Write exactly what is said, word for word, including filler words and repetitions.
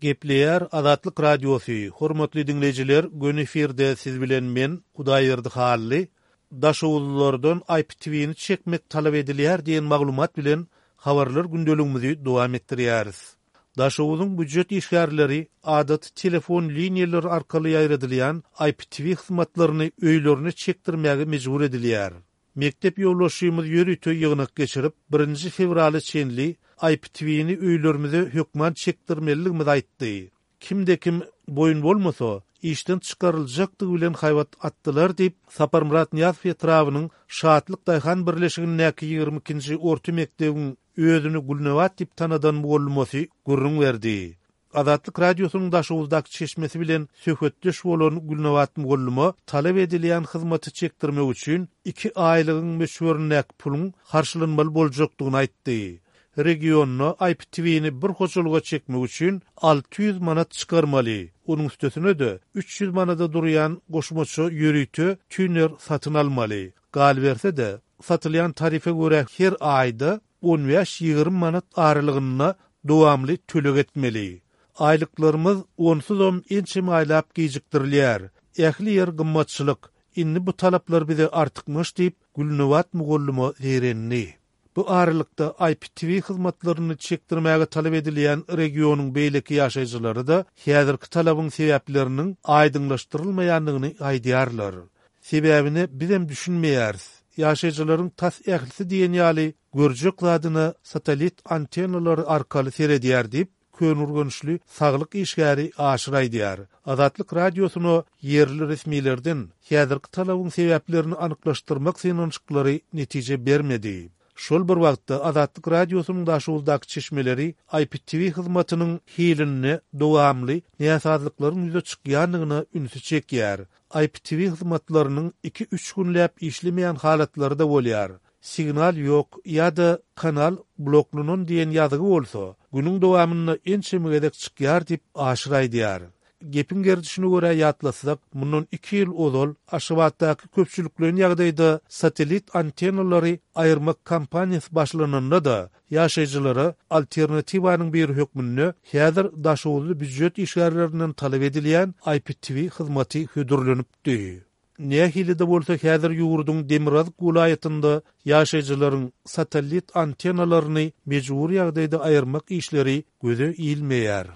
Gepleýär Azatlyk Radiosy, Hormatly diňleýjiler, göni efirde siz bilen men, Hudaýberdi Hally. Daşoguzlylardan IPTV-ni çekmek talap edilýär diýen maglumat bilen habarlar gündeligimizi dowam etdirýäris. Daşoguzyň býujet işgärleri adaty telefon liniýalary arkaly ýaýradylýan IPTV hyzmatlaryny öýlerine çekdirmäge mejbur edilýär. Mekdep ýolbaşçymyz ýörite ýygnak geçirip, birinji fewrala çenli IPTV-ni öýlerimize hökman çekdirmelidigimizi aýtdy. Kimde-kim boýun bolmasa, işden çykaryljakdygy bilen haýbat atdylar diýip, Saparmyrat Nyýazow etrabynyň Şatlyk daýhan birleşigindäki ýigrimi ikinji orta mekdebiň özüni Gülnabat diýip tanadan mugallymasy gürrüň berdi. Azatlyk Radiosynyň Daşoguzdaky çeşmesi bilen söhbetdeş bolan Gülnabat mugallyma talap edilýän hyzmaty çekdirmek üçin iki aýlygyň möçberindäki puluň harçlanmaly boljakdygyny aýtdy. Regionda IPTV-ni bir hojalyga çekmek üçin alty ýüz manat çykarmaly. Onuň üstesine-de üç ýüz manada durýan goşmaça ýörite tüner satyn almaly. Galyberse-de, satylýan tarife görä her aýda on bäş-ýigrimi manat aralygynda dowamly töleg etmeli. Aýlyklarymyz onsuzam ençeme aýlap gijikdirilýär. Ähli ýer gymmatçylyk. Indi bu talaplar bize artykmaç diýip, Gülnabat mugallyma zeýrendi. Bu aralykda I P T V hyzmatlaryny çekdirmäge talap edilýän regionyň beýleki ýaşaýjylary-da häzirki talabyň sebäpleriniň aýdyňlaşdyrylmaýandygyny aýdýarlar. Sebäbine bizem düşünmeýäris. Ýaşaýjylaryň tas ählisi diýen ýaly görjek zadyna satellit antennalary arkaly seredýär diýip, Köneürgençli saglyk işgäri Aşyr aýdýar. Azatlyk Radiosyna ýerli resmilerden häzirki talabyň sebäplerini anyklaşdyrmak synanyşyklary netije bermedi. Şol bir wagtda Azatlyk Radiosynyň Daşoguzdaky çeşmeleri I P T V hyzmatynyň hilinde dowamly näsazlyklaryň ýüze çykýandygyna ünsi çekýär. I P T V hyzmatlarynyň iki-üç günläp işlemeýän halatlary-da bolýar. Signal ýok ýa-da kanal bloklanan diýen ýazgy bolsa, günüň dowamynda ençeme gezek çykýar diýip Aşyr aýdýar. Gepiň gerdişine görä ýatlasak, mundan iki ýyl ozal Aşgabatdaky köpçülikleýin ýagdaýda satellit antennalary aýyrmak kampaniýasy başlananda-da ýaşaýjylara alternatiwanyň biri hökmünde häzir Daşoguzly býujet işgärlerinden talap edilýän I P T V hyzmaty hödürlenipdi. Nähili-de bolsa häzir ýurduň Demirgazyk welaýatynda ýaşaýjylaryň satellit antennalaryny mejbur ýagdaýda aýyrmak işleri göze ilmeýär.